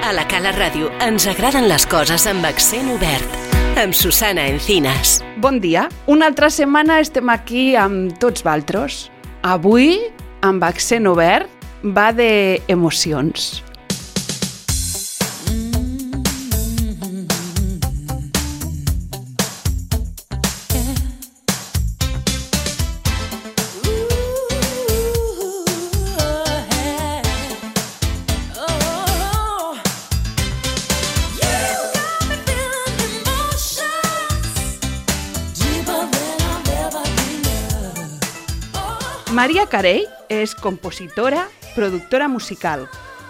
A la Cala Ràdio ens agraden les coses amb accent obert. Amb Susana Encinas. Bon dia. Una altra setmana estem aquí amb tots valtros. Avui, amb accent obert, va d'emocions. Maria Carey és compositora, productora musical,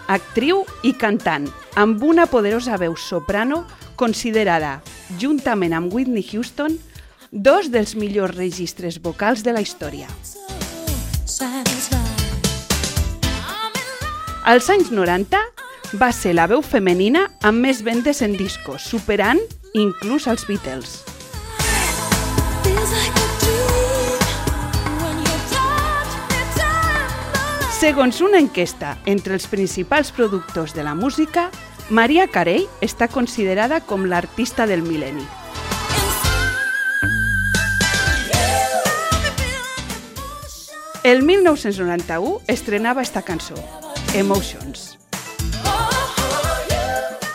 actriu i cantant, amb una poderosa veu soprano considerada, juntament amb Whitney Houston, dos dels millors registres vocals de la història. Als anys 90 va ser la veu femenina amb més vendes en discos, superant inclús els Beatles. Segons una enquesta entre els principals productors de la música, Maria Carey està considerada com l'artista del mil·lenni. El 1991 estrenava esta cançó, Emotions.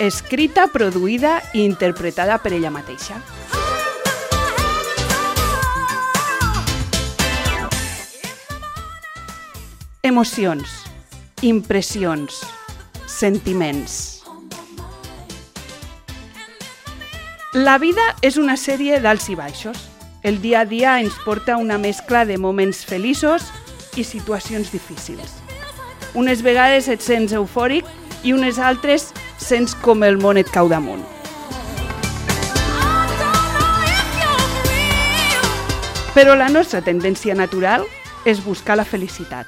Escrita, produïda i interpretada per ella mateixa. Emocions, impressions, sentiments. La vida és una sèrie d'alts i baixos. El dia a dia ens porta una mescla de moments feliços i situacions difícils. Unes vegades et sents eufòric i unes altres sents com el món et cau damunt. Però la nostra tendència natural és buscar la felicitat.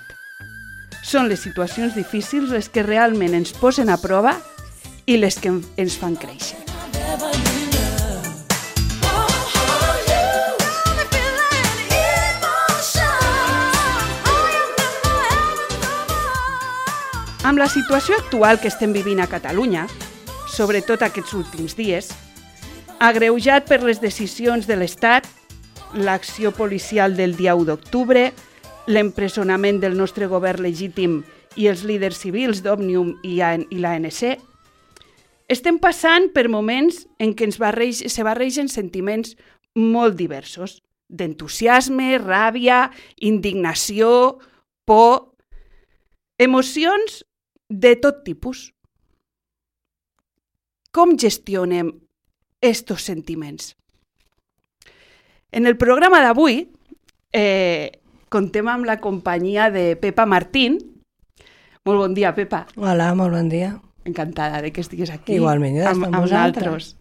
Són les situacions difícils les que realment ens posen a prova i les que ens fan créixer. Amb la situació actual que estem vivint a Catalunya, sobretot aquests últims dies, agreujat per les decisions de l'Estat, l'acció policial del dia 1 d'octubre, l'empresonament del nostre govern legítim i els líders civils d'Òmnium i l'ANC, estem passant per moments en què se barregen sentiments molt diversos, d'entusiasme, ràbia, indignació, por, emocions de tot tipus. Com gestionem estos sentiments? En el programa d'avui contem amb la companyia de Pepa Martín. Molt bon dia, Pepa. Hola, molt bon dia. Encantada de que estigues aquí. Igualment, amb nosaltres.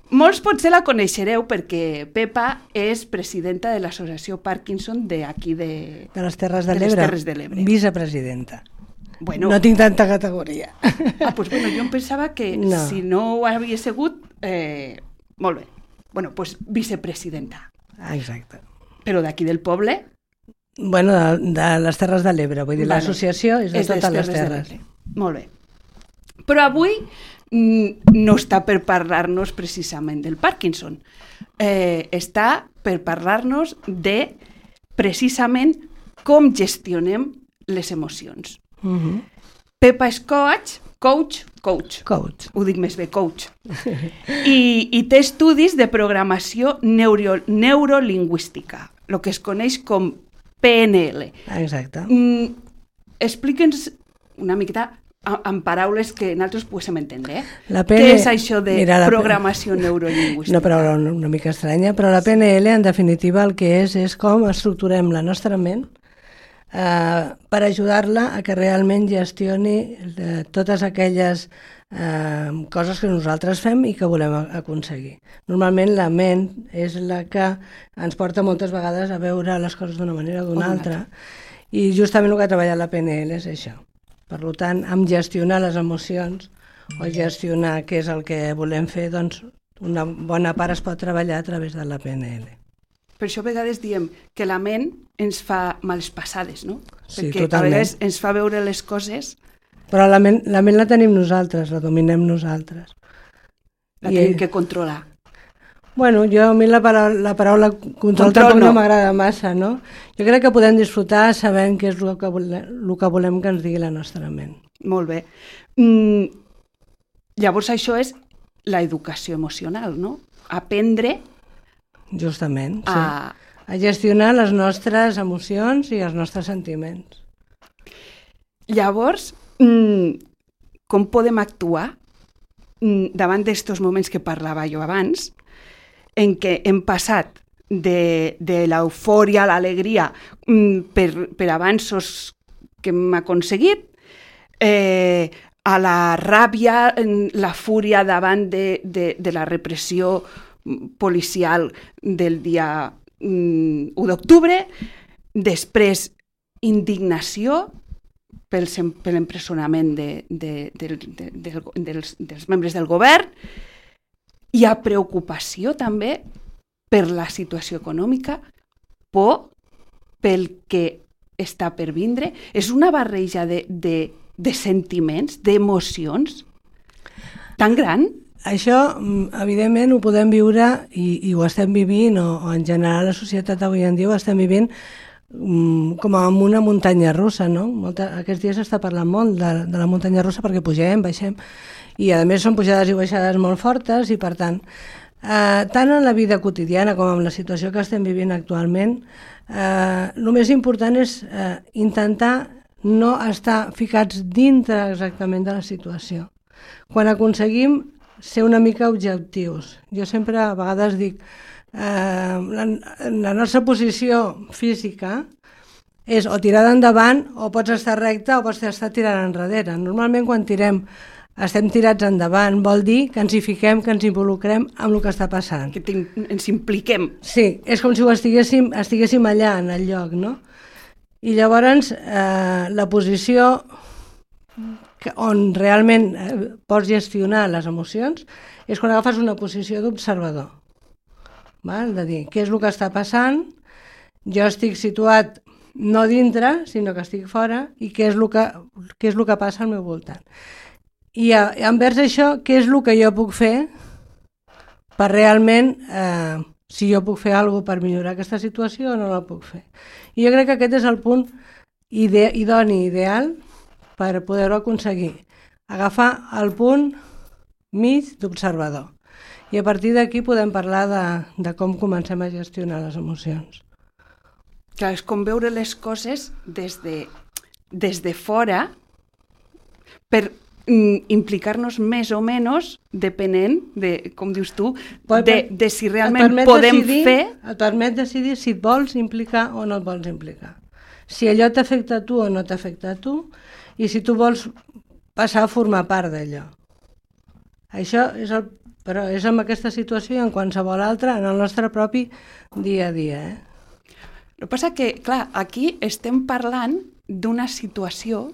Molts potser la coneixereu perquè Pepa és presidenta de l'associació Parkinson d'aquí de les Terres de l'Ebre. Vicepresidenta. Bueno, no tinc tanta categoria. Pues bueno, jo em pensava que no. Si no ho havia sigut, molt bé. Bueno, pues vicepresidenta. Exacte. Però d'aquí del poble? Bueno, de les Terres de l'Ebre, vull dir, vale. L'associació és de totes les terres. Molt bé. Però avui no està per parlar-nos precisament del Parkinson. Està per parlar-nos de precisament com gestionem les emocions. Pepa és coach. Ho dic més bé, coach. I té estudis de programació neurolingüística, el que es coneix com PNL. Exacte. Explica'ns una miqueta en paraules que nosaltres poguéssim entendre. Què és això de programació neurolingüística? Una paraula una mica estranya, però la PNL en definitiva el que és com estructurem la nostra ment per ajudar-la a que realment gestioni totes aquelles coses que nosaltres fem i que volem aconseguir. Normalment la ment és la que ens porta moltes vegades a veure les coses d'una manera o d'una altra, i justament el que ha treballat la PNL és això. Per tant, amb gestionar les emocions o gestionar què és el que volem fer, doncs una bona part es pot treballar a través de la PNL. Per això a vegades diem que la ment ens fa males passades, no? Sí, perquè totalment. A vegades ens fa veure les coses Però la ment la tenim nosaltres, la dominem nosaltres. La tenim que controlar. Bueno, a mi la paraula control tampoc no m'agrada massa, no? Jo crec que podem disfrutar sabent què és el que volem que ens digui la nostra ment. Molt bé. Llavors això és l'educació emocional, no? Aprendre justament, sí. A gestionar les nostres emocions i els nostres sentiments. Llavors, com podem actuar davant d'estos moments que parlava jo abans, en què hem passat de l'eufòria a l'alegria per avanços que hem aconseguit, a la ràbia, la fúria davant de la repressió policial del dia 1 d'octubre, després indignació per l'empresonament dels membres del govern, hi ha preocupació també per la situació econòmica, por pel que està per vindre. És una barreja de sentiments, d'emocions tan gran. Això, evidentment, ho podem viure i ho estem vivint, o en general la societat avui en dia ho estem vivint com amb una muntanya russa, no? Aquests dies s'està parlant molt de la muntanya russa perquè pugem, baixem, i a més són pujades i baixades molt fortes, i per tant, tant en la vida quotidiana com en la situació que estem vivint actualment, el més important és intentar no estar ficats dintre exactament de la situació. Quan aconseguim ser una mica objectius, jo sempre a vegades dic, la nostra posició física és o tirada endavant, o pots estar recta, o pots estar tirant enrere. Normalment quan estem tirats endavant, vol dir que ens hi fiquem, que ens involucrem amb el que està passant. Que ens impliquem. Sí, és com si ho estiguéssim allà, en el lloc, no? I llavors la posició on realment pots gestionar les emocions és quan agafes una posició d'observador. De dir, què és el que està passant, jo estic situat no dintre, sinó que estic fora, i què és el que passa al meu voltant. I envers això, què és el que jo puc fer per realment, si jo puc fer alguna cosa per millorar aquesta situació o no la puc fer. I jo crec que aquest és el punt idoni, ideal, per poder-ho aconseguir. Agafar el punt mig d'observador. I a partir d'aquí podem parlar de com comencem a gestionar les emocions. Clar, és com veure les coses des de fora per implicar-nos més o menys depenent de, com dius tu, de si realment podem fer... Et permet decidir si et vols implicar o no et vols implicar. Si allò t'afecta a tu o no t'afecta a tu, i si tu vols passar a formar part d'allò. Això però és en aquesta situació i en qualsevol altra, en el nostre propi dia a dia. El que passa que, clar, aquí estem parlant d'una situació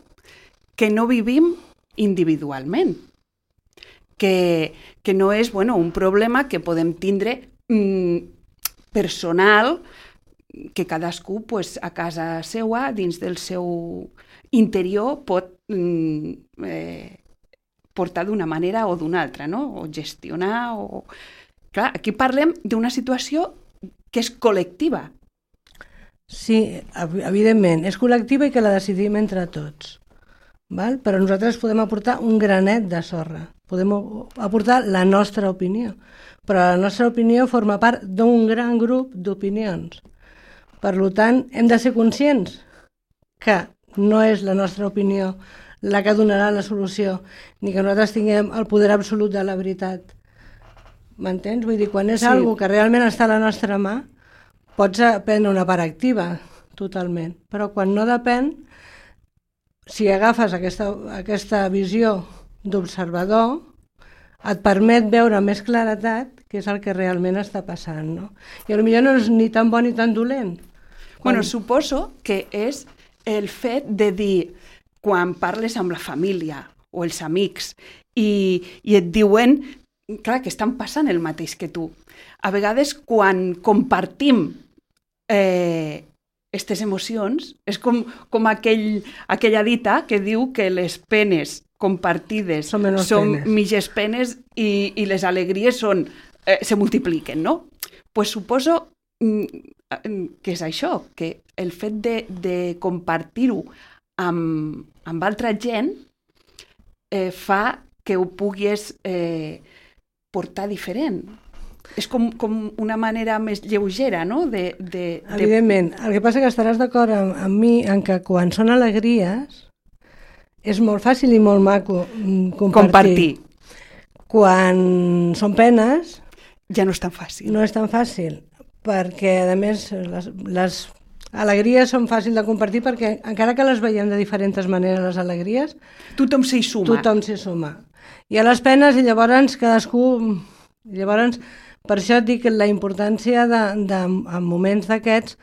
que no vivim individualment, que no és un problema que podem tindre personal, que cadascú a casa seua, dins del seu interior, pot portar d'una manera o d'una altra, no? O gestionar, Clar, aquí parlem d'una situació que és col·lectiva. Sí, evidentment, és col·lectiva i que la decidim entre tots. Però nosaltres podem aportar un granet de sorra, podem aportar la nostra opinió, però la nostra opinió forma part d'un gran grup d'opinions. Per tant, hem de ser conscients que no és la nostra opinió la que donarà la solució, ni que nosaltres tinguem el poder absolut de la veritat. M'entens? Vull dir, quan és algo que realment està a la nostra mà, pots prendre una part activa, totalment. Però quan no depèn, si agafes aquesta visió d'observador, et permet veure amb més claretat què és el que realment està passant, no? I potser no és ni tan bon ni tan dolent. Suposo que és el fet de dir, quan parles amb la família o els amics i et diuen, clar, que estan passant el mateix que tu. A vegades, quan compartim aquestes emocions. És com aquella dita que diu que les penes compartides són mitges penes i les alegries se multipliquen, no? Pues suposo que és això, que el fet de compartir-ho amb altra gent fa que ho puguis portar diferent. És com una manera més lleugera, no? Evidentment. El que passa que estaràs d'acord amb mi en que quan són alegries és molt fàcil i molt maco compartir. Quan són penes... Ja no és tan fàcil. No és tan fàcil, perquè a més les alegries són fàcils de compartir perquè encara que les veiem de diferents maneres, les alegries... Tothom s'hi suma. Tothom s'hi suma. I a les penes, i llavors cadascú... Llavors, per això et dic la importància en moments d'aquests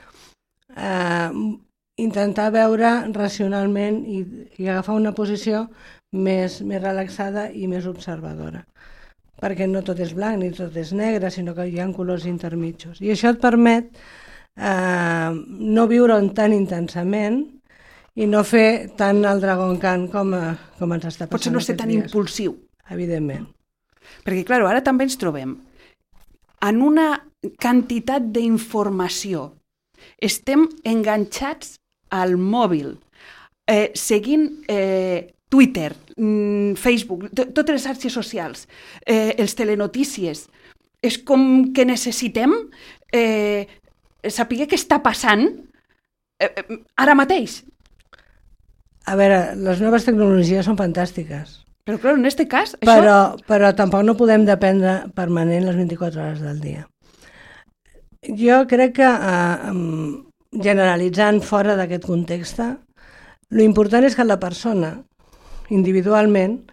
intentar veure racionalment i agafar una posició més relaxada i més observadora. Perquè no tot és blanc ni tot és negre, sinó que hi ha colors intermitjos. I això et permet no viure-ho tan intensament i no fer tant el dragon cant com ens està passant. Potser no ser tan impulsiu. Evidentment. Perquè, clar, ara també ens trobem en una quantitat d'informació. Estem enganxats al mòbil, seguint Twitter, Facebook, totes les xarxes socials, els telenotícies. És com que necessitem saber què està passant ara mateix. A veure, les noves tecnologies són fantàstiques. Però, clar, en aquest cas... Això... Però tampoc no podem dependre permanent les 24 hores del dia. Jo crec que, generalitzant fora d'aquest context, l'important és que la persona, individualment,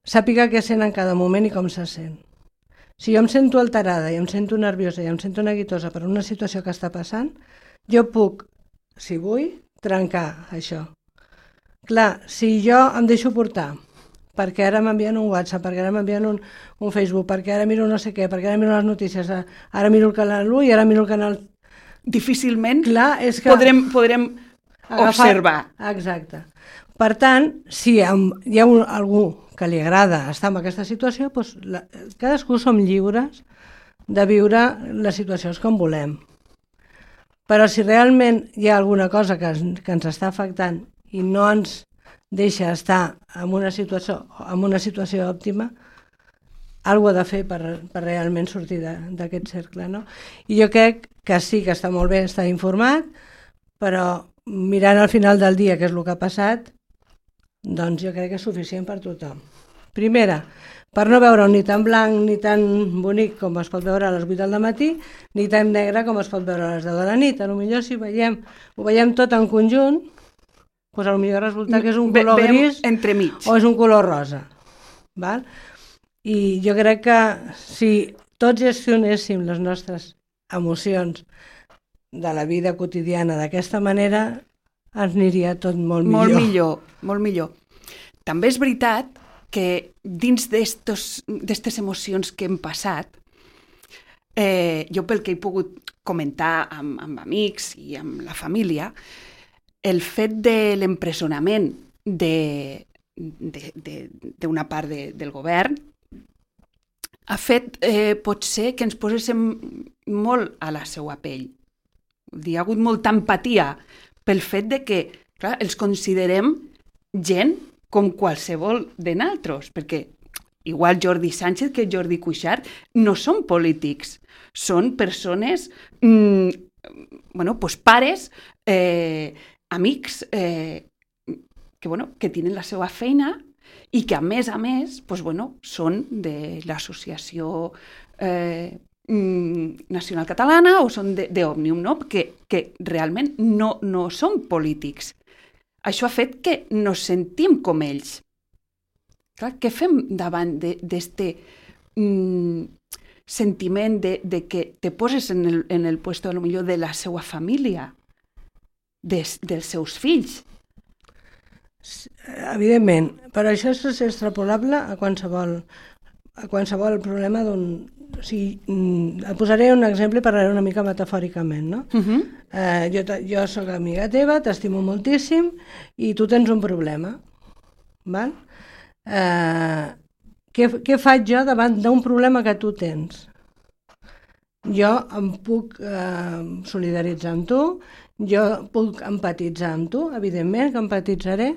sàpiga què sent en cada moment i com se sent. Si jo em sento alterada i em sento nerviosa i em sento neguitosa per una situació que està passant, jo puc, si vull, trencar això. Clar, si jo em deixo portar perquè ara m'envien un WhatsApp, perquè ara m'envien un Facebook, perquè ara miro no sé què, perquè ara miro les notícies, ara miro el canal 1 i ara miro el canal... Difícilment podrem observar. Exacte. Per tant, si hi ha algú que li agrada estar en aquesta situació, doncs cadascú som lliures de viure les situacions com volem. Però si realment hi ha alguna cosa que ens està afectant i no ens deixa estar en una situació òptima, alguna ha de fer per realment sortir d'aquest cercle, no? I jo crec que sí que està molt bé estar informat, però mirant al final del dia què és el que ha passat, doncs jo crec que és suficient per tothom. Primera, per no veure-ho ni tan blanc ni tan bonic com es pot veure a les 8 del matí, ni tan negre com es pot veure a les 10 de la nit. Potser si ho veiem tot en conjunt, doncs potser resulta que és un color gris o és un color rosa. Val? I jo crec que si tots gestionéssim les nostres emocions de la vida quotidiana d'aquesta manera, ens aniria tot molt millor. Molt millor. També és veritat que dins d'aquestes emocions que hem passat, jo pel que he pogut comentar amb amics i amb la família, el fet de l'empresonament d'una part del govern ha fet potser que ens poséssim molt a la seva pell. Hi ha hagut molta empatia pel fet de que, clar, els considerem gent com qualsevol de nosaltres, perquè igual Jordi Sánchez que Jordi Cuixart no són polítics, són persones, pares, amics que tenen la seva feina i que a més són de l'associació nacional catalana o són d'Òmnium, no? que realment no són polítics. Això ha fet que nos sentim com ells. Clar, què fem davant d'aquest sentiment de que te poses en el puesto millor de la seva família, dels seus fills? Evidentment, però això és extrapolable a qualsevol a qualsevol problema d'un... O sigui, et posaré un exemple i parlaré una mica metafòricament, no? Jo sóc amiga teva, t'estimo moltíssim i tu tens un problema, val? Què faig jo davant d'un problema que tu tens? Jo em puc solidaritzar amb tu, jo puc empatitzar amb tu, evidentment que empatitzaré,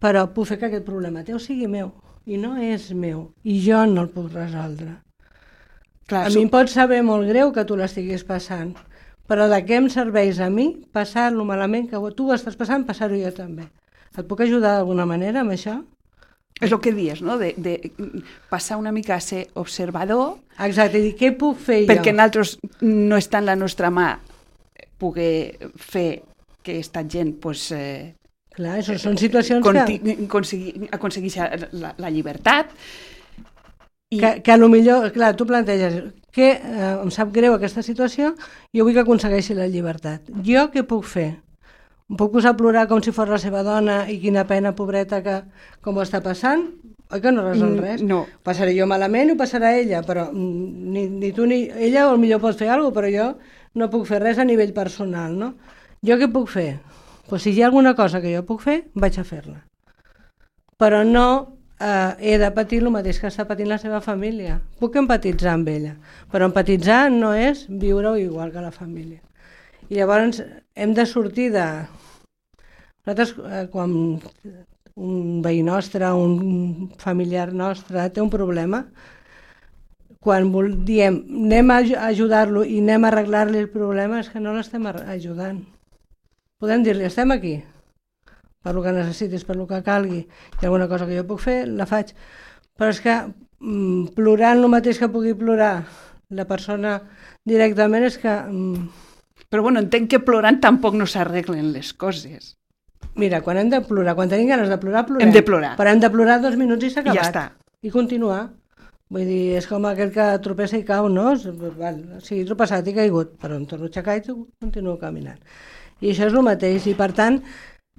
però puc fer que aquest problema teu sigui meu, i no és meu, i jo no el puc resoldre. Clar, a mi em pot saber molt greu que tu l'estiguis passant, però de què em serveix a mi passar-lo malament que tu ho estàs passant, passar-ho jo també. Et puc ajudar d'alguna manera amb això? És el que dius, no? De passar una mica a ser observador. Exacte, i què puc fer jo? Perquè nosaltres no està en la nostra mà poder fer que aquesta gent pues, clar, això són situacions aconsegueixi la llibertat. Que a lo millor, clar, tu planteges que em sap greu aquesta situació, jo vull que aconsegueixi la llibertat. Jo què puc fer? Em puc posar a plorar com si fos la seva dona i quina pena, pobreta, que com ho està passant? Oi que no resol res? No. Passaré jo malament i ho passarà ella, però ni tu ni... Ella potser pot fer alguna cosa, però jo no puc fer res a nivell personal, no? Jo què puc fer? Pues si hi ha alguna cosa que jo puc fer, vaig a fer-la. Però no he de patir el mateix que està patint la seva família. Puc empatitzar amb ella, però empatitzar no és viure-ho igual que la família. I llavors hem de sortir de... Nosaltres, quan un veí nostre, un familiar nostre té un problema, quan diem anem a ajudar-lo i anem a arreglar-li el problema, és que no l'estem ajudant. Podem dir-li, estem aquí, per lo que necessitis, per lo que calgui, i alguna cosa que jo puc fer, la faig. Però és que plorant el mateix que pugui plorar la persona directament és que... Però bueno, entenc que plorant tampoc no s'arreglen les coses. Mira, quan hem de plorar, quan tenim ganes de plorar, plorem. Hem de plorar. Però hem de plorar 2 minuts i s'ha acabat. I ja està. I continuar. Vull dir, és com aquell que tropessa i cau, no? Sí, he tropeçat i caigut, però em torno a aixecar i continuo caminant. I això és el mateix, i per tant,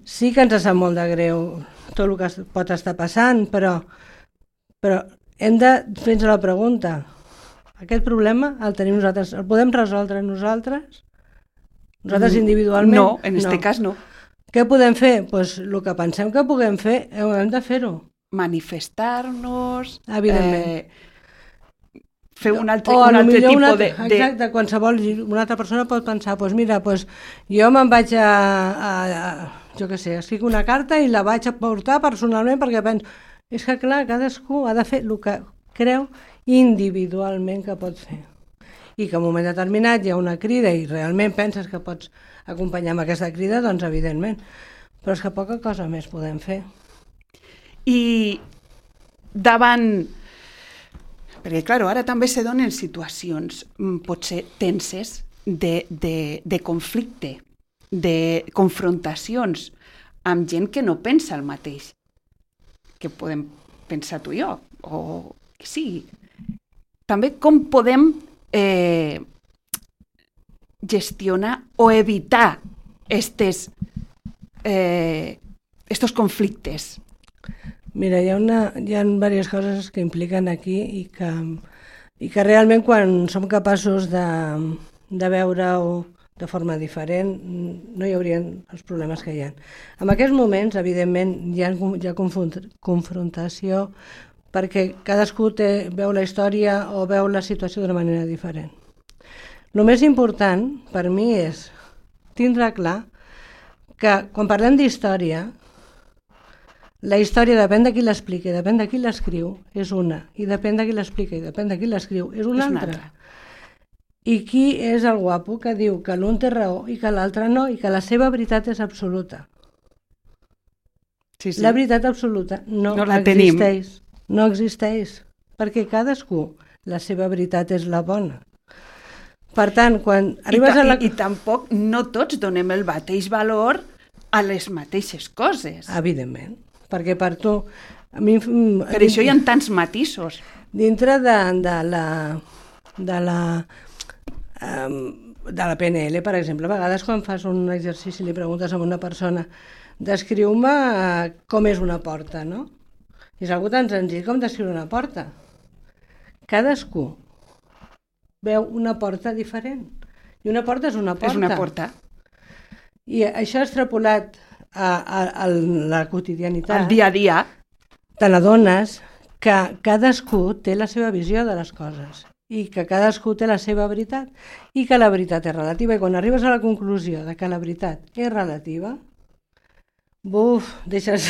sí que ens sap molt de greu tot el que pot estar passant, però hem de fer-nos la pregunta, aquest problema el tenim nosaltres, el podem resoldre nosaltres? Nosaltres individualment? No, en aquest cas no. Què podem fer? Doncs el que pensem que puguem fer, hem de fer-ho. Manifestar-nos, evidentment. Fer un altre tipus de... Exacte, qualsevol, una altra persona pot pensar, doncs mira, jo me'n vaig jo què sé, escric una carta i la vaig a portar personalment perquè penso... És que clar, cadascú ha de fer el que creu individualment que pot fer. I que en un moment determinat hi ha una crida i realment penses que pots acompanyar amb aquesta crida, doncs evidentment. Però és que poca cosa més podem fer. I davant... Perquè, clar, ara també se donen situacions potser tenses de conflicte, de confrontacions amb gent que no pensa el mateix que podem pensar tu i jo, o que sigui. També com podem gestionar o evitar estos conflictes. Mira, hi ha diverses coses que impliquen aquí i que realment quan som capaços de veure-ho de forma diferent no hi haurien els problemes que hi ha. En aquests moments, evidentment, hi ha confrontació perquè cadascú veu la història o veu la situació d'una manera diferent. El més important per mi és tindre clar que quan parlem d'història, la història depèn de qui l'explica i depèn de qui l'escriu, és una, i depèn de qui l'explica i depèn de qui l'escriu, és una altra. I qui és el guapo que diu que l'un té raó i que l'altre no, i que la seva veritat és absoluta. Sí. La veritat absoluta no existeix. No existeix, perquè cadascú, la seva veritat és la bona. Per tant, quan arribes a la... I tampoc no tots donem el mateix valor a les mateixes coses. Evidentment, perquè per tu... Per això hi ha tants matisos. Dintre de la PNL, per exemple, a vegades quan fas un exercici li preguntes a una persona descriu-me com és una porta, no? I és algo tan senzill com descriure una porta. cadascú veu una porta diferent. I una porta és una porta. És una porta. I això extrapolat a la quotidianitat. Al dia a dia. Te n'adones que cadascú té la seva visió de les coses i que cadascú té la seva veritat i que la veritat és relativa. I quan arribes a la conclusió de que la veritat és relativa, deixes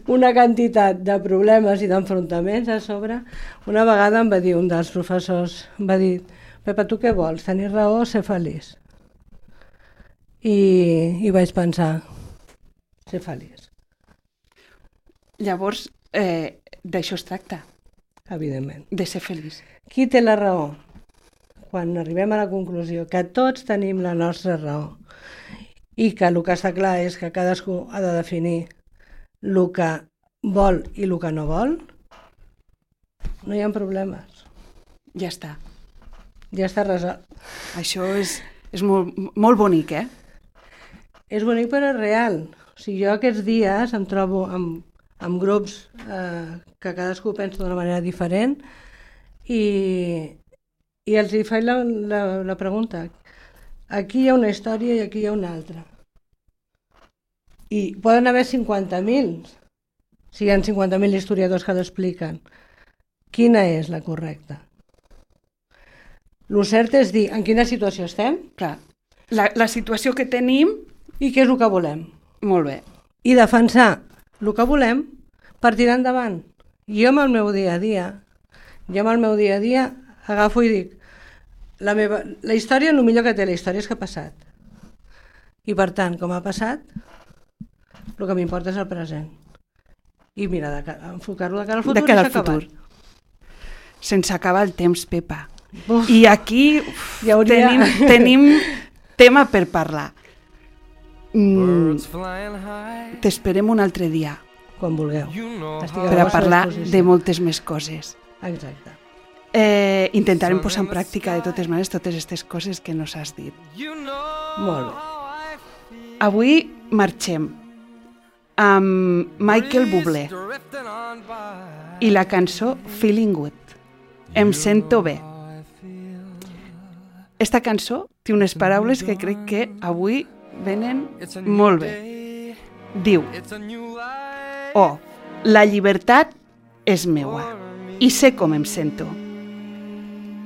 una quantitat de problemes i d'enfrontaments a sobre. Una vegada em va dir un dels professors, va dir: Pepa, tu què vols? Tenir raó o ser feliç? I vaig pensar, ser feliç. Llavors, d'això es tracta. Evidentment. De ser feliç. Qui té la raó? Quan arribem a la conclusió que tots tenim la nostra raó i que el que està clar és que cadascú ha de definir el que vol i el que no vol, no hi ha problemes. Ja està. Ja està resolt. Això és molt, molt bonic, eh? És bonic però és real. O sigui, jo aquests dies em trobo amb grups que cadascú pensa d'una manera diferent i els hi faig la pregunta. Aquí hi ha una història i aquí hi ha una altra. I poden haver 50.000, si hi ha 50.000 historiadors que l'expliquen. Quina és la correcta? Lo cert és dir en quina situació estem. Clar, la situació que tenim... I què és el que volem. Molt bé. I defensar el que volem per tirar endavant. Jo amb el meu dia a dia, agafo i dic, la història, el millor que té la història és que ha passat. I per tant, com ha passat, el que m'importa és el present. I mira, enfocar-lo de cara al futur. De cara al futur. Sense acabar el temps, Pepa. I aquí tenim tema per parlar. T'esperem un altre dia. Quan vulgueu. Per a parlar de moltes més coses. Exacte. Intentarem posar en pràctica de totes maneres totes aquestes coses que nos has dit. Molt bé. Avui marxem amb Michael Bublé i la cançó Feeling Good. Em sento bé. Esta cançó té unes paraules que crec que avui venen molt bé. Diu: oh, la llibertat és meua i sé com em sento.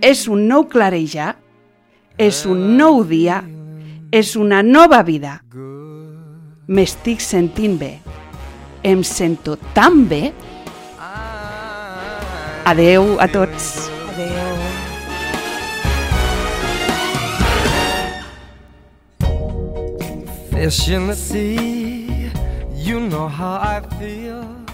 És un nou clarejar, és un nou dia, és una nova vida. M'estic sentint bé. Em sento tan bé. Adeu a tots. Adeu. Fish in the sea, you know how I feel.